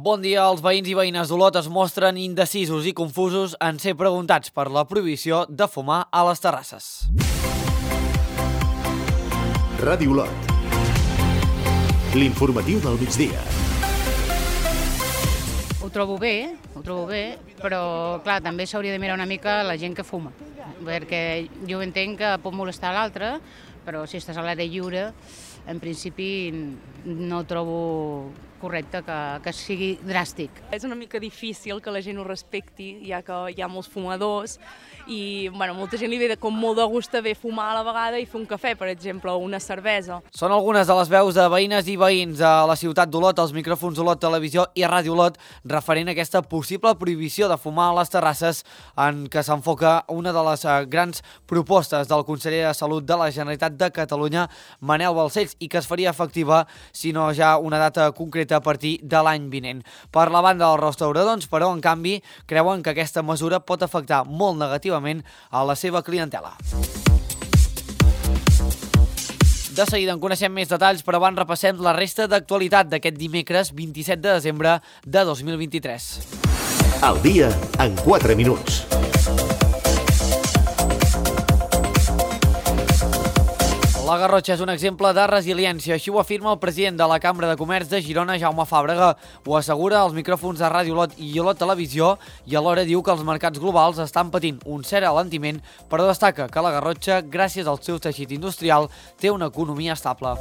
Bon dia. Els veïns i veïnes d'Olot es mostren indecisos i confusos en ser preguntats per la prohibició de fumar a les terrasses. Ràdio Olot. L'informatiu del migdia. Ho trobo bé, però clar, també s'hauria de mirar una mica la gent que fuma, perquè jo entenc que pot molestar l'altre, però si estàs a l'aire lliure, en principi no trobo correcte que sigui dràstic. És una mica difícil que la gent ho respecti, ja que hi ha molts fumadors i molta gent li ve com molt de gust de fumar a la vegada i fer un cafè, per exemple, o una cervesa. Són algunes de les veus de veïnes i veïns a la ciutat d'Olot, als micròfons d'Olot Televisió i Ràdio Olot, referent a aquesta possible prohibició de fumar a les terrasses, en què s'enfoca una de les grans propostes del conseller de Salut de la Generalitat de Catalunya, Manel Balcells, i que es faria efectiva, si no ja una data concreta, a partir de l'any vinent. Per la banda dels restauradors, però, en canvi, creuen que aquesta mesura pot afectar molt negativament a la seva clientela. De seguida en coneixem més detalls, però abans repassem la resta d'actualitat d'aquest dimecres 27 de desembre de 2023. Al dia en 4 minuts. La Garrotxa és un exemple de resiliència, així ho afirma el president de la Cambra de Comerç de Girona, Jaume Fàbrega. Ho assegura als micròfons de Ràdio Olot i Olot Televisió i alhora diu que els mercats globals estan patint un cert alentiment, però destaca que la Garrotxa, gràcies al seu teixit industrial, té una economia estable.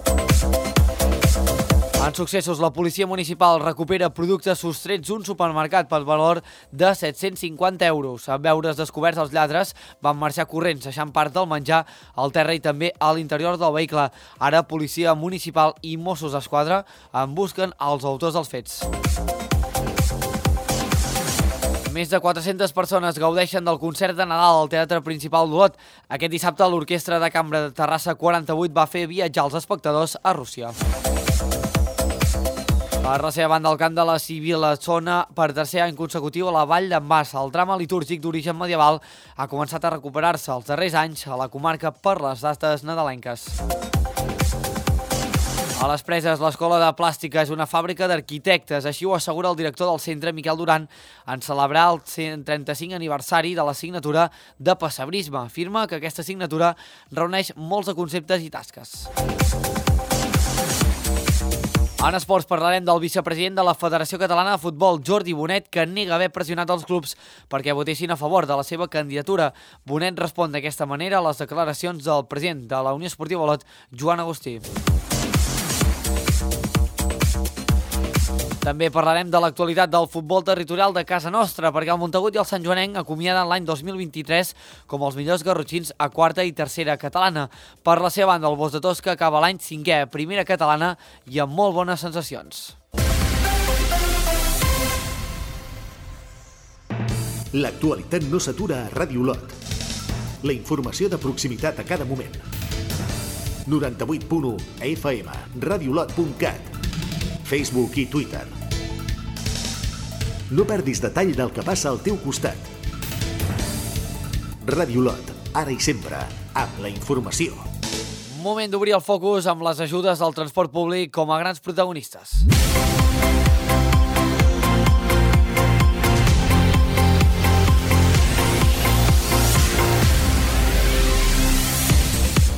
En successos, la policia municipal recupera productes sostrets d'un supermercat per valor de 750 euros. En veure's descoberts els lladres, van marxar corrents, deixant part del menjar al terra i també a l'interior del vehicle. Ara, policia municipal i Mossos d'Esquadra en busquen els autors dels fets. Més de 400 persones gaudeixen del concert de Nadal al Teatre Principal d'Olot. Aquest dissabte, l'Orquestra de Cambra de Terrassa 48 va fer viatjar els espectadors a Rússia. Per la seva banda, el cant de la Civil sona per tercer any consecutiu a la Vall d'en Bas. El drama litúrgic d'origen medieval ha començat a recuperar-se els darrers anys a la comarca per les dates nadalenques. A les Preses, l'Escola de Plàstica és una fàbrica d'arquitectes, així ho assegura el director del centre, Miquel Duran, en celebrar el 135 aniversari de la signatura de Pessebrisme. Afirma que aquesta signatura reuneix molts de conceptes i tasques. En esports parlarem del vicepresident de la Federació Catalana de Futbol, Jordi Bonet, que nega haver pressionat els clubs perquè votessin a favor de la seva candidatura. Bonet respon d'aquesta manera a les declaracions del president de la Unió Esportiva Olot, Joan Agustí. També parlarem de l'actualitat del futbol territorial de casa nostra, perquè el Montagut i el Santjoanenc acomiaden l'any 2023 com els millors garrotxins a quarta i tercera catalana. Per la seva banda, el Bos de Tosca acaba l'any 5è a primera catalana i amb molt bones sensacions. L'actualitat no s'atura a Ràdio Olot. La informació de proximitat a cada moment. 98.1 FM, radioolot.cat, Facebook i Twitter. No perdis detall del que passa al teu costat. Ràdio Olot, ara i sempre, amb la informació. Moment d'obrir el focus amb les ajudes del transport públic com a grans protagonistes.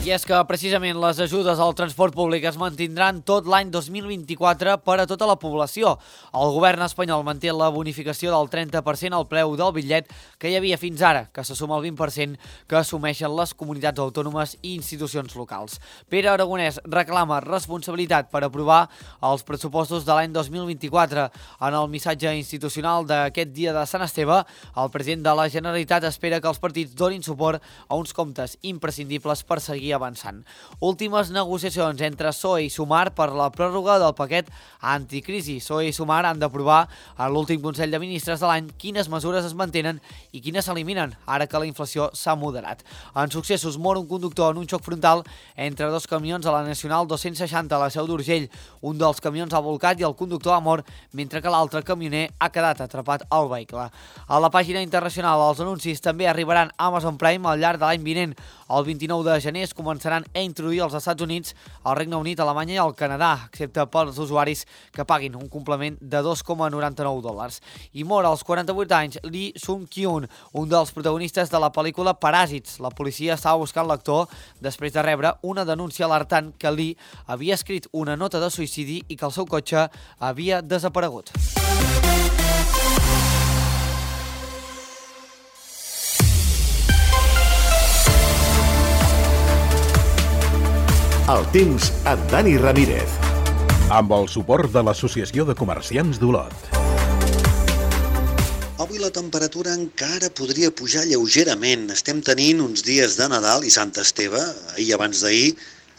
I és que precisament les ajudes al transport públic es mantindran tot l'any 2024 per a tota la població. El govern espanyol manté la bonificació del 30% al preu del bitllet que hi havia fins ara, que se suma al 20% que assumeixen les comunitats autònomes i institucions locals. Pere Aragonès reclama responsabilitat per aprovar els pressupostos de l'any 2024. En el missatge institucional d'aquest dia de Sant Esteve, el president de la Generalitat espera que els partits donin suport a uns comptes imprescindibles per seguir avançant. Últimes negociacions entre PSOE i Sumar per la pròrroga del paquet anticrisi. PSOE i Sumar han d'aprovar a l'últim Consell de Ministres de l'any quines mesures es mantenen i quines s'eliminen, ara que la inflació s'ha moderat. En successos, mor un conductor en un xoc frontal entre dos camions a la Nacional 260 a la Seu d'Urgell. Un dels camions ha volcat i el conductor ha mort, mentre que l'altre camioner ha quedat atrapat al vehicle. A la pàgina internacional, els anuncis també arribaran a Amazon Prime al llarg de l'any vinent. El 29 de gener es començarà començaran a introduir als Estats Units, al Regne Unit, Alemanya i al Canadà, excepte pels usuaris que paguin un complement de $2,99. I mor als 48 anys Lee Sung-kyun, un dels protagonistes de la pel·lícula Paràsits. La policia estava buscant l'actor després de rebre una denúncia alertant que Lee havia escrit una nota de suïcidi i que el seu cotxe havia desaparegut. El temps amb Dani Ramírez. Amb el suport de l'Associació de Comerciants d'Olot. Avui la temperatura encara podria pujar lleugerament. Estem tenint uns dies de Nadal i Sant Esteve, ahir abans d'ahir,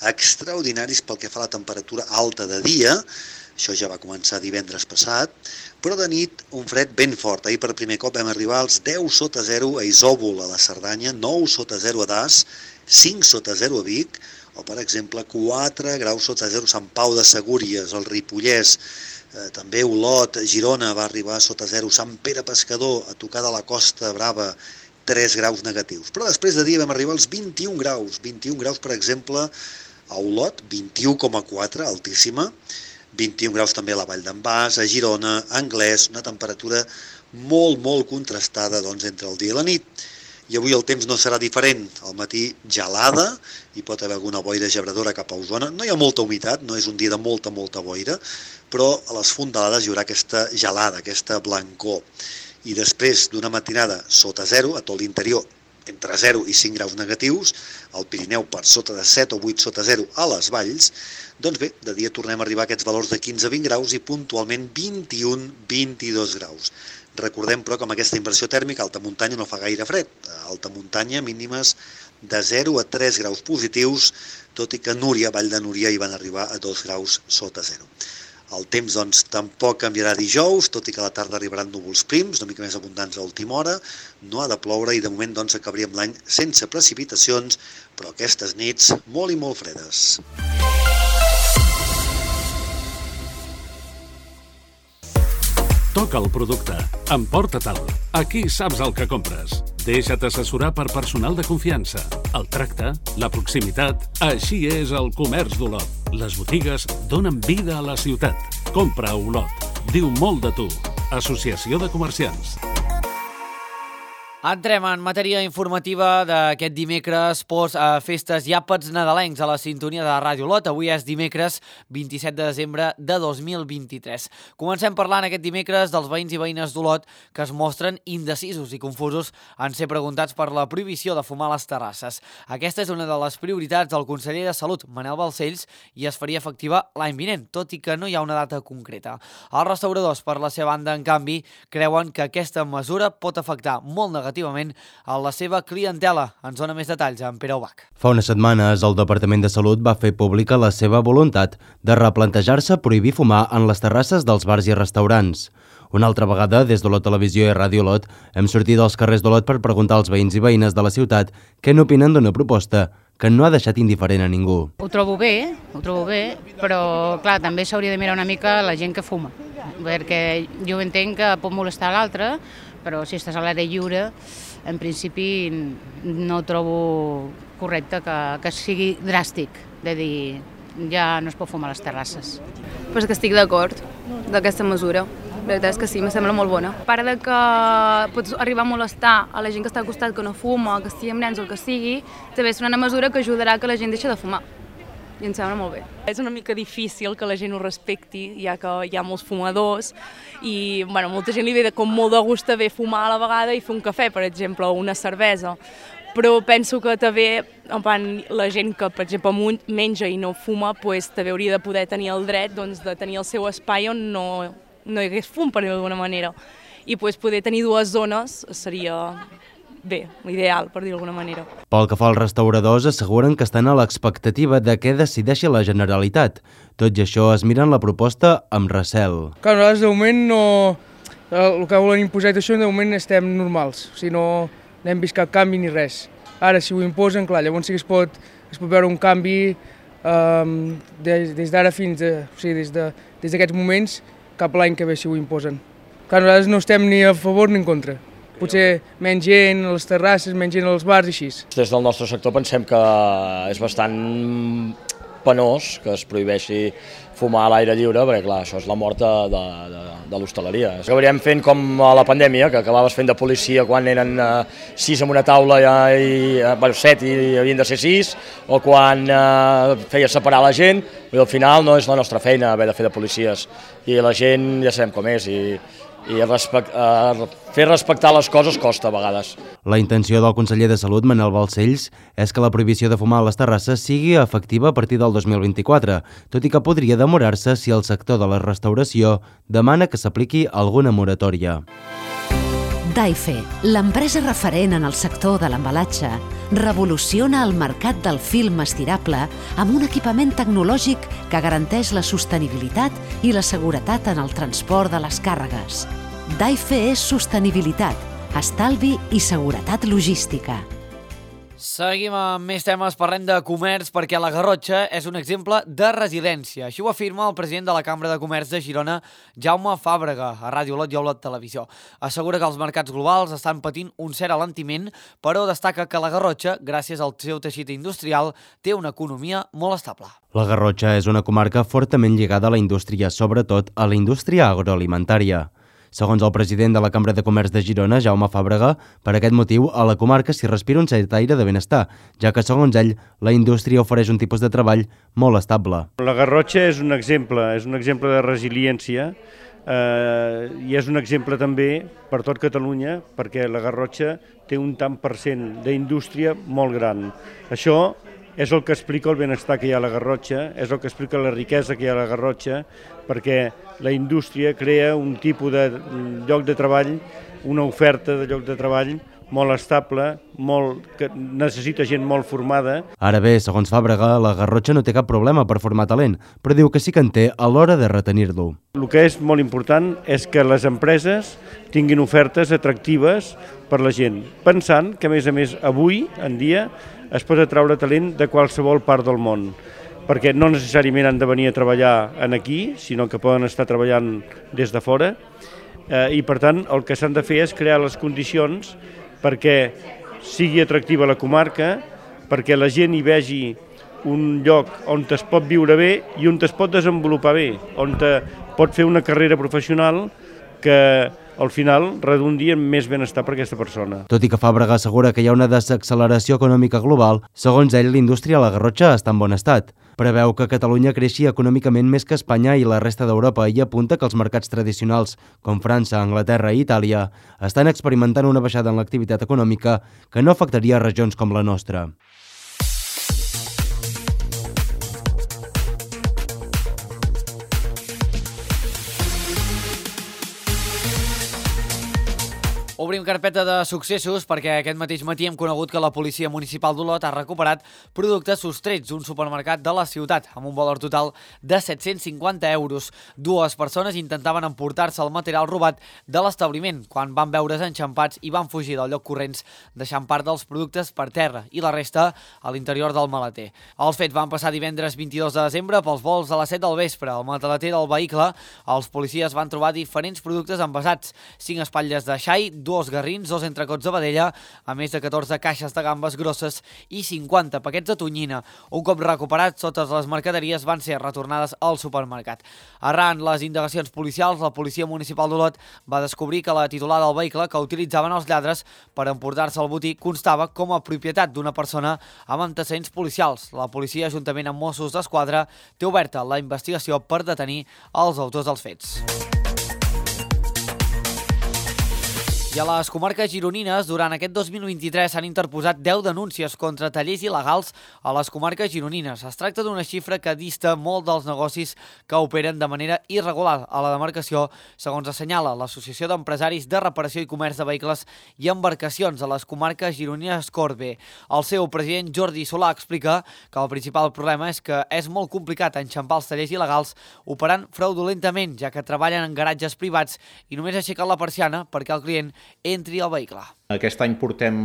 extraordinaris pel que fa a la temperatura alta de dia. Això ja va començar divendres passat, però de nit un fred ben fort. Ahir per primer cop vam arribar als 10 sota 0 a Isòvol, a la Cerdanya, 9 sota 0 a Das, 5 sota 0 a Vic, o per exemple 4 graus sota 0 a Sant Pau de Segúries, el Ripollès, també Olot, Girona va arribar sota 0, Sant Pere Pescador, a tocar de la Costa Brava, 3 graus negatius. Però després de dia vam arribar als 21 graus, per exemple, a Olot, 21,4, altíssima, 21 graus també a la Vall d'en Bas, a Girona, a Anglès, una temperatura molt contrastada entre el dia i la nit. I avui el temps no serà diferent. Al matí gelada, hi pot haver alguna boira gebradora cap a Osona. No hi ha molta humitat, no és un dia de molta boira, però a les fondalades hi haurà aquesta gelada, aquesta blancor. I després d'una matinada sota 0, a tot l'interior, entre 0 i 5 graus negatius, al Pirineu per sota de 7 o 8 sota 0 a les valls, doncs bé, de dia tornem a arribar a aquests valors de 15 a 20 graus i puntualment 21-22 graus. Recordem, però, que amb aquesta inversió tèrmica alta muntanya no fa gaire fred. A alta muntanya mínimes de 0 a 3 graus positius, tot i que a Núria, Vall de Núria, hi van arribar a 2 graus sota 0. El temps, doncs, tampoc canviarà dijous, tot i que a la tarda arribaran núvols prims, una mica més abundants a última hora, no ha de ploure i de moment doncs acabaríem l'any sense precipitacions, però aquestes nits molt i molt fredes. Toca el producte. Emporta-te'l. Aquí saps el que compres. Deixa't assessorar per personal de confiança. El tracte, la proximitat... Així és el comerç d'Olot. Les botigues donen vida a la ciutat. Compra a Olot. Diu molt de tu. Associació de Comerciants. Entrem en matèria informativa d'aquest dimecres post festes i àpats nadalencs a la sintonia de Ràdio Olot. Avui és dimecres 27 de desembre de 2023. Comencem parlant aquest dimecres dels veïns i veïnes d'Olot que es mostren indecisos i confusos en ser preguntats per la prohibició de fumar a les terrasses. Aquesta és una de les prioritats del conseller de Salut, Manel Balcells, i es faria efectiva l'any vinent, tot i que no hi ha una data concreta. Els restauradors, per la seva banda, en canvi, creuen que aquesta mesura pot afectar molt negativament a la seva clientela. Ens dona més detalls en Pere Ubach. Fa unes setmanes, el Departament de Salut va fer pública la seva voluntat de replantejar-se prohibir fumar en les terrasses dels bars i restaurants. Una altra vegada, des d'Olot Televisió i Ràdio Olot, hem sortit als carrers d'Olot per preguntar als veïns i veïnes de la ciutat què n'opinen d'una proposta que no ha deixat indiferent a ningú. Ho trobo bé, però clar, també s'hauria de mirar una mica la gent que fuma, perquè jo entenc que pot molestar l'altre, però si estàs a l'aire lliure, en principi no trobo correcte que sigui dràstic, de dir ja no es pot fumar a les terrasses. Pues que estic d'acord d'aquesta mesura. La veritat és que sí, em sembla molt bona. A part de que pots arribar a molestar a la gent que està al costat que no fuma, que estigui amb nens o el que sigui, també és una mesura que ajudarà que la gent deixi de fumar. I em sembla molt bé. És una mica difícil que la gent ho respecti, ja que hi ha molts fumadors i molta gent li ve com molt de gust de fumar a la vegada i fer un cafè, per exemple, o una cervesa. Però penso que també la gent que, per exemple, menja i no fuma, també hauria de poder tenir el dret de tenir el seu espai on no hi hagués fum, per dir-ho d'alguna manera. I poder tenir dues zones seria bé, l'ideal, per dir-ho d'alguna manera. Pel que fa als restauradors, asseguren que estan a l'expectativa de què decideixi la Generalitat. Tot i això, es miren la proposta amb recel. Clar, nosaltres de moment no... El que volen imposar i això, de moment estem normals. O sigui, no hem vist cap canvi ni res. Ara, si ho imposen, clar, llavors sí que es pot veure un canvi des d'ara fins a... O sigui, des d'aquests moments cap l'any que ve si ho imposen. Clar, nosaltres no estem ni a favor ni en contra. potser menys gent a les terrasses, menys gent als bars i així. Des del nostre sector pensem que és bastant penós que es prohibeixi fumar a l'aire lliure, perquè clar, això és la mort de l'hostaleria. Acabaríem fent com a la pandèmia, que acabaves fent de policia quan eren 6 en una taula, 7 i havien de ser 6, o quan feies separar la gent, i al final no és la nostra feina haver de fer de policies, i la gent ja sabem com és, i fer respectar les coses costa a vegades. La intenció del conseller de Salut, Manel Balcells, és que la prohibició de fumar a les terrasses sigui efectiva a partir del 2024, tot i que podria demorar-se si el sector de la restauració demana que s'apliqui alguna moratòria. Daife, l'empresa referent en el sector de l'embalatge, revoluciona el mercat del film estirable amb un equipament tecnològic que garanteix la sostenibilitat i la seguretat en el transport de les càrregues. Daife és sostenibilitat, estalvi i seguretat logística. Seguim amb més temes, parlem de comerç, perquè la Garrotxa és un exemple de resiliència. Així ho afirma el president de la Cambra de Comerç de Girona, Jaume Fàbrega, a Ràdio Olot i Olot Televisió. Assegura que els mercats globals estan patint un cert alentiment, però destaca que la Garrotxa, gràcies al seu teixit industrial, té una economia molt estable. La Garrotxa és una comarca fortament lligada a la indústria, sobretot a la indústria agroalimentària. Segons el president de la Cambra de Comerç de Girona, Jaume Fàbrega, per aquest motiu a la comarca s'hi respira un cert aire de benestar, ja que, segons ell, la indústria ofereix un tipus de treball molt estable. La Garrotxa és un exemple de resiliència i és un exemple també per tot Catalunya, perquè la Garrotxa té un tant per cent d'indústria molt gran. Això és el que explica el benestar que hi ha a la Garrotxa, és el que explica la riquesa que hi ha a la Garrotxa, perquè la indústria crea un tipus de lloc de treball, una oferta de lloc de treball molt estable, que necessita gent molt formada. Ara bé, segons Fàbrega, la Garrotxa no té cap problema per formar talent, però diu que sí que en té a l'hora de retenir-lo. El que és molt important és que les empreses tinguin ofertes atractives per la gent, pensant que, a més, avui en dia es pot atraure talent de qualsevol part del món, perquè no necessàriament han de venir a treballar aquí, sinó que poden estar treballant des de fora, i per tant el que s'han de fer és crear les condicions perquè sigui atractiva la comarca, perquè la gent hi vegi un lloc on es pot viure bé i on es pot desenvolupar bé, on pot fer una carrera professional que al final redundi en més benestar per aquesta persona. Tot i que Fàbrega assegura que hi ha una desacceleració econòmica global, segons ell, la indústria a la Garrotxa està en bon estat. Preveu que Catalunya creixi econòmicament més que Espanya i la resta d'Europa i apunta que els mercats tradicionals, com França, Anglaterra i Itàlia, estan experimentant una baixada en l'activitat econòmica que no afectaria regions com la nostra. Obrim carpeta de successos perquè aquest mateix matí hem conegut que la Policia Municipal d'Olot ha recuperat productes sostrets d'un supermercat de la ciutat amb un valor total de 750 euros. Dues persones intentaven emportar-se el material robat de l'establiment quan van veure's enxampats i van fugir del lloc corrents, deixant part dels productes per terra i la resta a l'interior del maleter. Els fets van passar divendres 22 de desembre pels vols a les 7 del vespre. Al maleter del vehicle, els policies van trobar diferents productes envasats, 5 espatlles de xai, 2 garrins, 2 entrecots de vedella, a més de 14 caixes de gambes grosses i 50 paquets de tonyina. Un cop recuperats, totes les mercaderies van ser retornades al supermercat. Arran les indagacions policials, la Policia Municipal d'Olot va descobrir que la titular del vehicle que utilitzaven els lladres per emportar-se el botí constava com a propietat d'una persona amb antecedents policials. La policia, juntament amb Mossos d'Esquadra, té oberta la investigació per detenir els autors dels fets. I a les comarques gironines, durant aquest 2023 s'han interposat 10 denúncies contra tallers il·legals a les comarques gironines. Es tracta d'una xifra que dista molt dels negocis que operen de manera irregular a la demarcació, segons assenyala l'Associació d'Empresaris de Reparació i Comerç de Vehicles i Embarcacions a les comarques gironines Corbe. El seu president, Jordi Solà, explica que el principal problema és que és molt complicat enxampar els tallers il·legals operant fraudulentament, ja que treballen en garatges privats i només aixequen la persiana perquè el client entri al vehicle. Aquest any portem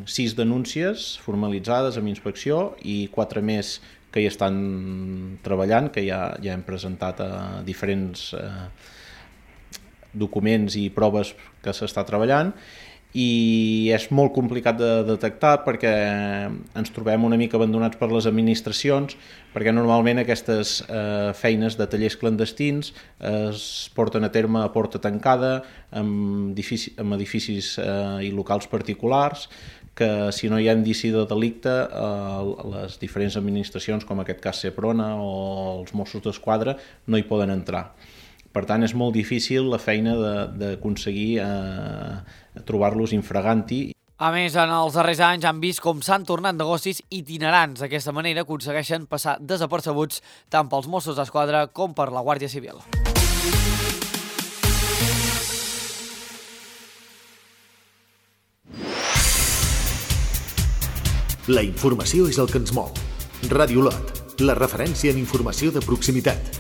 6 denúncies formalitzades amb inspecció i 4 més que hi estan treballant, que ja hem presentat a diferents documents i proves que s'està treballant, i és molt complicat de detectar perquè ens trobem una mica abandonats per les administracions, perquè normalment aquestes feines de tallers clandestins es porten a terme a porta tancada, amb edificis i locals particulars, que si no hi ha indici de delicte, les diferents administracions, com en aquest cas Seprona o els Mossos d'Esquadra, no hi poden entrar. Per tant, és molt difícil la feina d'aconseguir trobar-los infraganti. A més, en els darrers anys han vist com s'han tornat negocis itinerants. D'aquesta manera aconsegueixen passar desapercebuts tant pels Mossos d'Esquadra com per la Guàrdia Civil. La informació és el que ens mou. Ràdio Lot, la referència en informació de proximitat.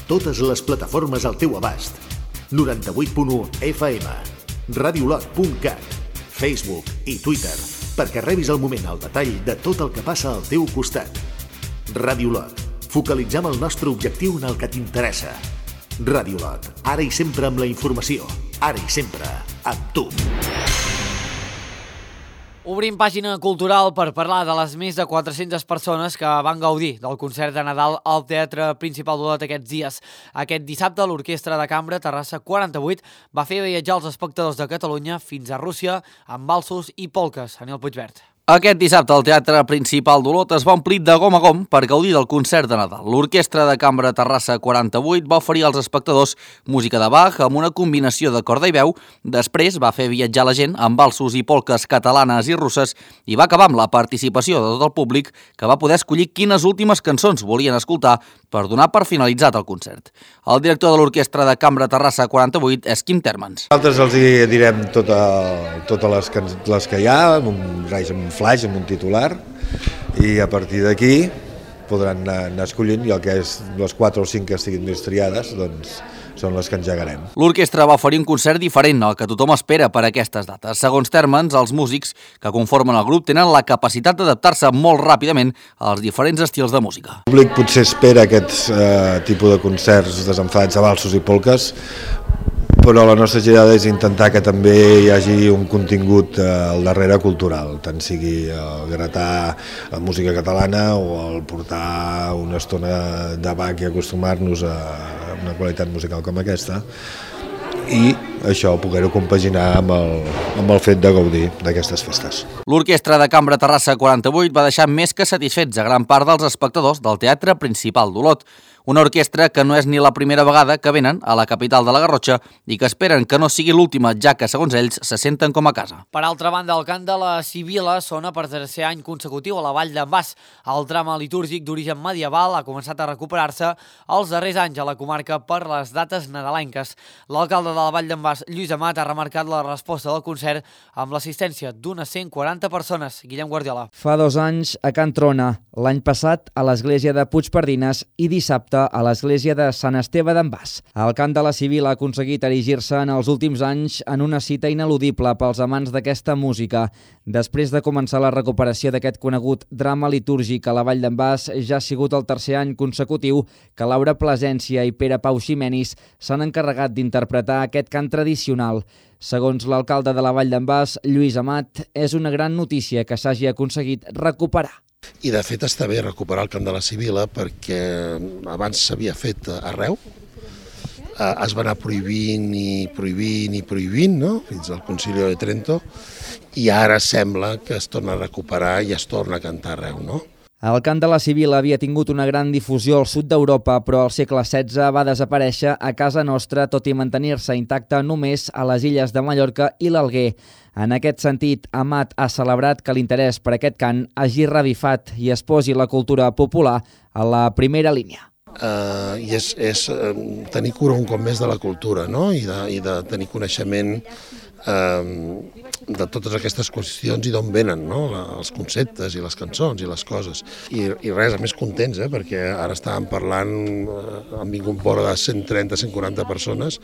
Totes les plataformes al teu abast. 98.1 FM, radiolot.cat, Facebook i Twitter, perquè rebis al moment el detall de tot el que passa al teu costat. Ràdio Lot, focalitzem el nostre objectiu en el que t'interessa. Ràdio Lot, ara i sempre amb la informació, ara i sempre amb tu. Obrim pàgina cultural per parlar de les més de 400 persones que van gaudir del concert de Nadal al Teatre Principal d'Olot aquests dies. Aquest dissabte, l'Orquestra de Cambra Terrassa 48 va fer viatjar els espectadors de Catalunya fins a Rússia amb valsos i polques. Aniol Puigvert. Aquest dissabte el Teatre Principal d'Olot es va omplir de gom a gom per gaudir del concert de Nadal. L'Orquestra de Cambra Terrassa 48 va oferir als espectadors música de Bach amb una combinació de corda i veu. Després va fer viatjar la gent amb valsos i polques catalanes i russes i va acabar amb la participació de tot el públic, que va poder escollir quines últimes cançons volien escoltar per donar per finalitzat el concert. El director de l'Orquestra de Cambra Terrassa 48 és Quim Térmens. Nosaltres els direm totes les que hi ha, amb un flash, amb un titular, i a partir d'aquí podran anar escollint, i el que és les 4 o 5 que estiguin més triades, doncs són les que engegarem. L'orquestra va oferir un concert diferent al que tothom espera per a aquestes dates. Segons Térmens, els músics que conformen el grup tenen la capacitat d'adaptar-se molt ràpidament als diferents estils de música. El públic potser espera aquests tipus de concerts desenfadats de valsos i polques, però la nostra girada és intentar que també hi hagi un contingut al darrere cultural, tant sigui el gratar la música catalana o el portar una estona de Bach i acostumar-nos a una qualitat musical com aquesta, i això poder-ho compaginar amb el fet de gaudir d'aquestes festes. L'Orquestra de Cambra Terrassa 48 va deixar més que satisfets a gran part dels espectadors del Teatre Principal d'Olot. Una orquestra que no és ni la primera vegada que venen a la capital de la Garrotxa i que esperen que no sigui l'última, ja que, segons ells, se senten com a casa. Per altra banda, el cant de la Sibila sona per tercer any consecutiu a la Vall d'en Bas. El drama litúrgic d'origen medieval ha començat a recuperar-se els darrers anys a la comarca per les dates nadalenques. L'alcalde de la Vall d'en Bas, Lluís Amat, ha remarcat la resposta del concert amb l'assistència d'unes 140 persones. Guillem Guardiola. Fa 2 anys a Can Trona, l'any passat a l'església de Puigpardines i dissabte a l'església de Sant Esteve d'en Bas. El cant de la Sibila ha aconseguit erigir-se en els últims anys en una cita ineludible pels amants d'aquesta música. Després de començar la recuperació d'aquest conegut drama litúrgic a la Vall d'en Bas, ja ha sigut el tercer any consecutiu que Laura Plasència i Pere Pau Ximenis s'han encarregat d'interpretar aquest cant tradicional. Segons l'alcalde de la Vall d'en Bas, Lluís Amat, és una gran notícia que s'hagi aconseguit recuperar. I de fet està bé recuperar el cant de la Sibila perquè abans s'havia fet arreu, es va anar prohibint i prohibint, no? Fins al Concilio de Trento, i ara sembla que es torna a recuperar i es torna a cantar arreu, no? El cant de la Sibila havia tingut una gran difusió al sud d'Europa, però al segle XVI va desaparèixer a casa nostra, tot i mantenir-se intacte només a les illes de Mallorca i l'Alguer. En aquest sentit, Amat ha celebrat que l'interès per aquest cant hagi revifat i es posi la cultura popular a la primera línia. I és tenir cura un cop més de la cultura, no? I de tenir coneixement de totes aquestes qüestions i d'on venen, no? Els conceptes i les cançons i les coses. I res, a més contents, perquè ara estàvem parlant, han vingut vora de 130-140 persones,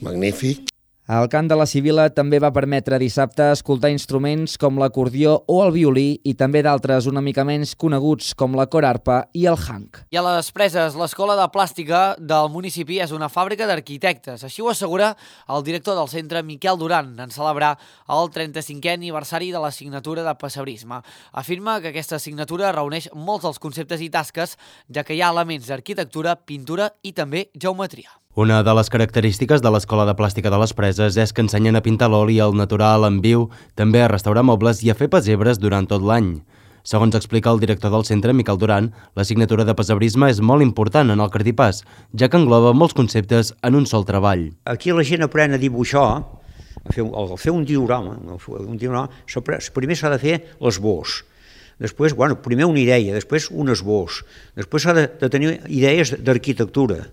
magnífic. El cant de la Sibil·la també va permetre dissabte escoltar instruments com l'acordió o el violí i també d'altres una mica menys coneguts com la corarpa i el hank. I a les Preses, l'Escola de Plàstica del municipi és una fàbrica d'arquitectes. Així ho assegura el director del centre, Miquel Duran, en celebrar el 35è aniversari de la signatura de pessebrisme. Afirma que aquesta signatura reuneix molts dels conceptes i tasques, ja que hi ha elements d'arquitectura, pintura i també geometria. Una de les característiques de l'Escola de Plàstica de les Preses és que ensenyen a pintar l'oli al natural, en viu, també a restaurar mobles i a fer pessebres durant tot l'any. Segons explica el director del centre, Miquel Duran, la signatura de pessebrisme és molt important en el cartipàs, ja que engloba molts conceptes en un sol treball. Aquí la gent aprèn a dibuixar, a fer un diorama. Primer s'ha de fer l'esbós. Després, primer una idea, després un esbós. Després s'ha de tenir idees d'arquitectura,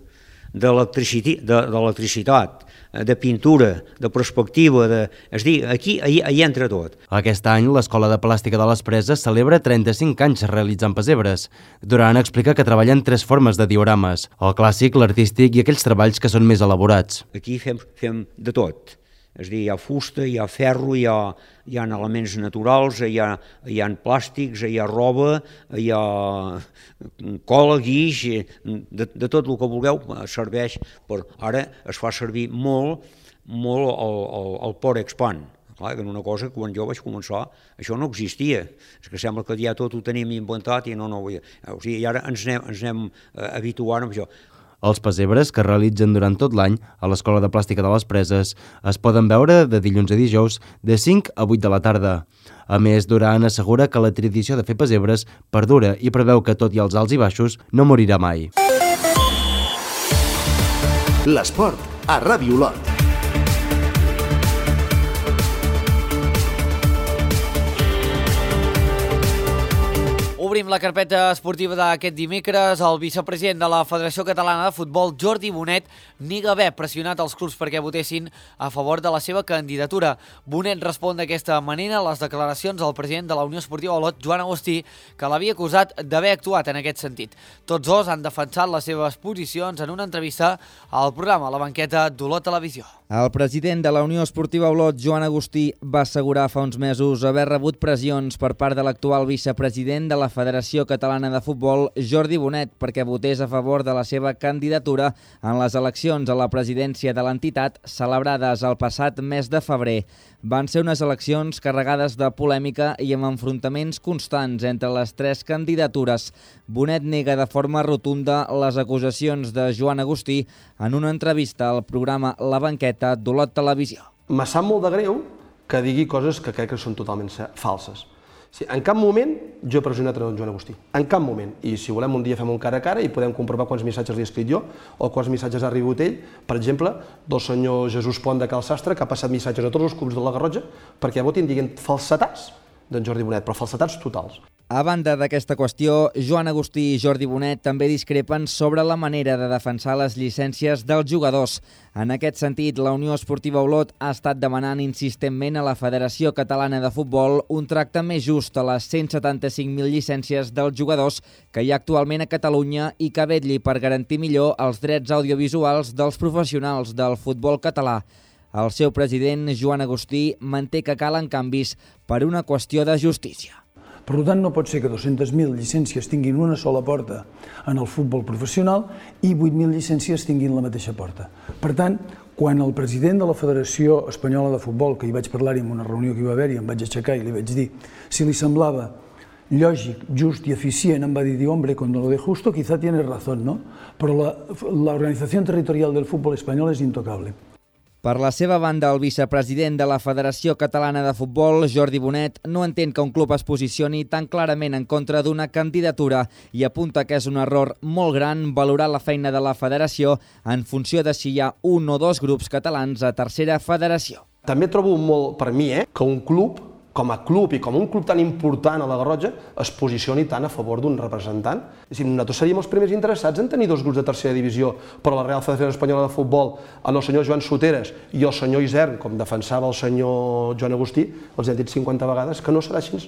d'electricitat, de pintura, de perspectiva, és a dir, aquí hi entra tot. Aquest any, l'Escola de Plàstica de les Preses celebra 35 anys realitzant pessebres. Duran explica que treballen 3 formes de diorames, el clàssic, l'artístic i aquells treballs que són més elaborats. Aquí fem de tot. És a dir, hi ha fusta, hi ha ferro, hi ha elements naturals, hi ha plàstics, hi ha roba, hi ha cola, guix, de tot el que vulgueu serveix. Ara es fa servir molt el Porexpan. Clar, que una cosa que quan jo vaig començar això no existia. És que sembla que ja tot ho tenim inventat i i ara ens anem habituant amb això. Els pessebres, que es realitzen durant tot l'any a l'Escola de Plàstica de les Preses, es poden veure de dilluns a dijous de 5 a 8 de la tarda. A més, Duran assegura que la tradició de fer pessebres perdura i preveu que, tot i els alts i baixos, no morirà mai. L'esport a Ràdio Olot. Obrim la carpeta esportiva d'aquest dimecres. El vicepresident de la Federació Catalana de Futbol, Jordi Bonet, nega haver pressionat els clubs perquè votessin a favor de la seva candidatura. Bonet respon d'aquesta manera a les declaracions del president de la Unió Esportiva Olot, Joan Agustí, que l'havia acusat d'haver actuat en aquest sentit. Tots dos han defensat les seves posicions en una entrevista al programa La Banqueta d'Olot Televisió. El president de la Unió Esportiva Olot, Joan Agustí, va assegurar fa uns mesos haver rebut pressions per part de l'actual vicepresident de la Federació Catalana de Futbol, Jordi Bonet, perquè votés a favor de la seva candidatura en les eleccions a la presidència de l'entitat celebrades el passat mes de febrer. Van ser unes eleccions carregades de polèmica i amb enfrontaments constants entre les 3 candidatures. Bonet nega de forma rotunda les acusacions de Joan Agustí en una entrevista al programa La Banqueta d'Olot Televisió. Me sap molt de greu que digui coses que crec que són totalment falses. En cap moment jo he pressionat a Joan Agustí, en cap moment. I si volem un dia fem un cara a cara i podem comprovar quants missatges li he escrit jo o quants missatges ha rebut ell, per exemple, del senyor Jesús Pont de Cal Sastre, que ha passat missatges a tots els clubs de la Garrotxa perquè votin dient falsetats d'en Jordi Bonet, però falsetats totals. A banda d'aquesta qüestió, Joan Agustí i Jordi Bonet també discrepen sobre la manera de defensar les llicències dels jugadors. En aquest sentit, la Unió Esportiva Olot ha estat demanant insistentment a la Federació Catalana de Futbol un tracte més just a les 175.000 llicències dels jugadors que hi ha actualment a Catalunya i que vetlli per garantir millor els drets audiovisuals dels professionals del futbol català. El seu president, Joan Agustí, manté que calen canvis per una qüestió de justícia. Per tant, no pot ser que 200.000 llicències tinguin una sola porta en el futbol professional i 8.000 llicències tinguin la mateixa porta. Per tant, quan el president de la Federació Espanyola de Futbol, que hi vaig parlar-hi en una reunió que hi va haver-hi, em vaig aixecar i li vaig dir si li semblava lògic, just i eficient, em va dir, hombre, cuando lo de justo quizá tienes razón, ¿no? Però la organización territorial del fútbol espanyol és intocable. Per la seva banda, el vicepresident de la Federació Catalana de Futbol, Jordi Bonet, no entén que un club es posicioni tan clarament en contra d'una candidatura i apunta que és un error molt gran valorar la feina de la federació en funció de si hi ha un o dos grups catalans a tercera federació. També trobo molt, per mi, que un club, com a club i com un club tan important a la Garrotxa, es posicioni tant a favor d'un representant. Nosaltres seríem els primers interessats en tenir 2 grups de tercera divisió, però la Real Federació Espanyola de Futbol, el senyor Joan Soteres i el senyor Isern, com defensava el senyor Joan Agustí, els hem dit 50 vegades que no serà així.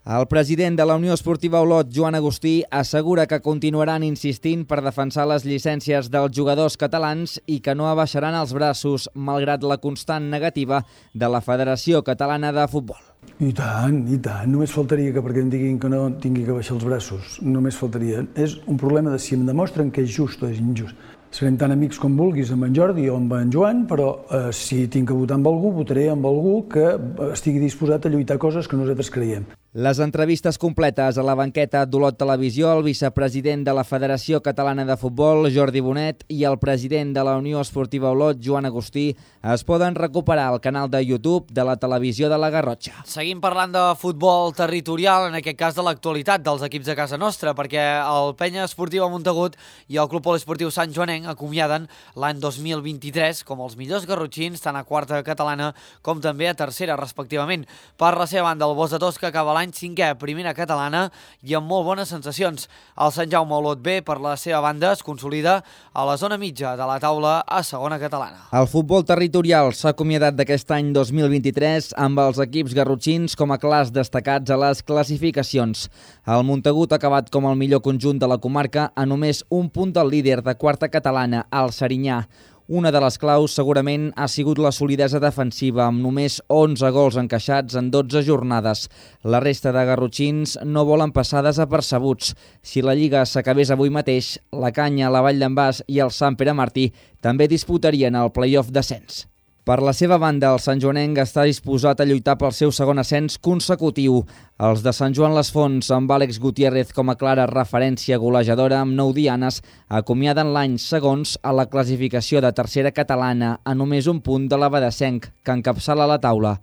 El president de la Unió Esportiva Olot, Joan Agustí, assegura que continuaran insistint per defensar les llicències dels jugadors catalans i que no abaixaran els braços, malgrat la constant negativa de la Federació Catalana de Futbol. I tant, només faltaria que perquè em diguin que no tingui que baixar els braços, només faltaria. És un problema de si em demostren que és just o és injust. Serem tan amics com vulguis amb en Jordi o amb en Joan, però si tinc que votar amb algú, votaré amb algú que estigui disposat a lluitar coses que nosaltres creiem. Les entrevistes completes a la banqueta d'Olot Televisió, el vicepresident de la Federació Catalana de Futbol, Jordi Bonet, i el president de la Unió Esportiva Olot, Joan Agustí, es poden recuperar al canal de YouTube de la Televisió de la Garrotxa. Seguim parlant de futbol territorial, en aquest cas de l'actualitat dels equips de casa nostra, perquè el Penya Esportiva Montagut i el Club Poliesportiu Sant Joanenc acomiaden l'any 2023 com els millors garrotxins, tant a quarta catalana com també a tercera, respectivament. Per la seva banda, el Bos de Tosca acaba l'any 5è a primera catalana i amb molt bones sensacions. El Sant Jaume Olot B, per la seva banda, es consolida a la zona mitja de la taula a segona catalana. El futbol territorial s'ha acomiadat d'aquest any 2023 amb els equips garrotxins com a clars destacats a les classificacions. El Montagut ha acabat com el millor conjunt de la comarca a només un punt del líder de quarta catalana, el Serinyà. Una de les claus segurament ha sigut la solidesa defensiva, amb només 11 gols encaixats en 12 jornades. La resta de garrotxins no volen passar desapercebuts. Si la Lliga s'acabés avui mateix, la Canya, la Vall d'en Bas i el Sant Pere Martí també disputarien el play-off d'ascens. Per la seva banda, el Sant Joanenc està disposat a lluitar pel seu segon ascens consecutiu. Els de Sant Joan les Fonts, amb Àlex Gutiérrez com a clara referència golejadora amb 9 dianes, acomiaden l'any segons a la classificació de tercera catalana a només un punt de l'Abadesenc, que encapçala la taula.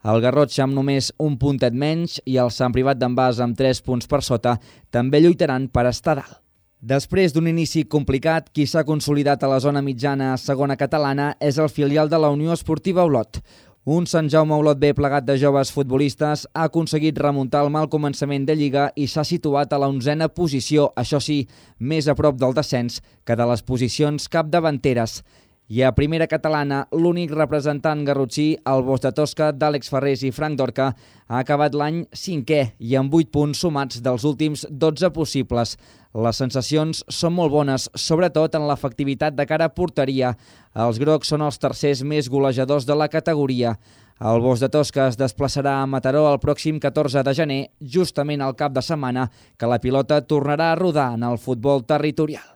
El Garrotxa, amb només un puntet menys, i el Sant Privat d'en Bas, amb 3 punts per sota, també lluitaran per estar dalt. Després d'un inici complicat, qui s'ha consolidat a la zona mitjana segona catalana és el filial de la Unió Esportiva Olot. Un Sant Jaume Olot B plegat de joves futbolistes ha aconseguit remuntar el mal començament de Lliga i s'ha situat a la 11a posició, això sí, més a prop del descens que de les posicions capdavanteres. I a primera catalana, l'únic representant garrotxí, el Bos de Tosca d'Àlex Ferrés i Frank Dorca, ha acabat l'any 5è i amb 8 punts sumats dels últims 12 possibles. Les sensacions són molt bones, sobretot en l'efectivitat de cara a porteria. Els grocs són els tercers més golejadors de la categoria. El Bos de Tosca es desplaçarà a Mataró el pròxim 14 de gener, justament al cap de setmana que la pilota tornarà a rodar en el futbol territorial.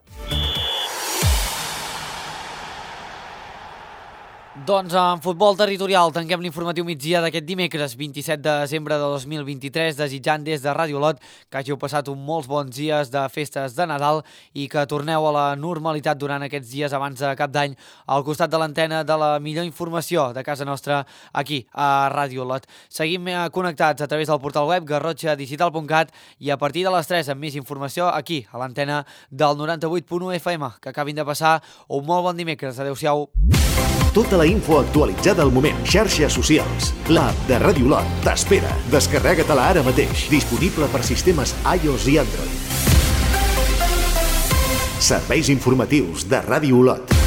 Doncs en futbol territorial tanquem l'informatiu migdia d'aquest dimecres 27 de desembre de 2023, desitjant des de Ràdio Olot que hàgiu passat molts bons dies de festes de Nadal i que torneu a la normalitat durant aquests dies abans de Cap d'Any al costat de l'antena de la millor informació de casa nostra aquí a Ràdio Olot. Seguim connectats a través del portal web garrotxadigital.cat i a partir de les 3 amb més informació aquí a l'antena del 98.1 FM. Que acabin de passar un molt bon dimecres. Adéu-siau. Tota la info actualitzada al moment. Xarxes socials. L'app de Ràdio Olot t'espera. Descarrega-te-la ara mateix. Disponible per sistemes iOS i Android. Serveis informatius de Ràdio Olot.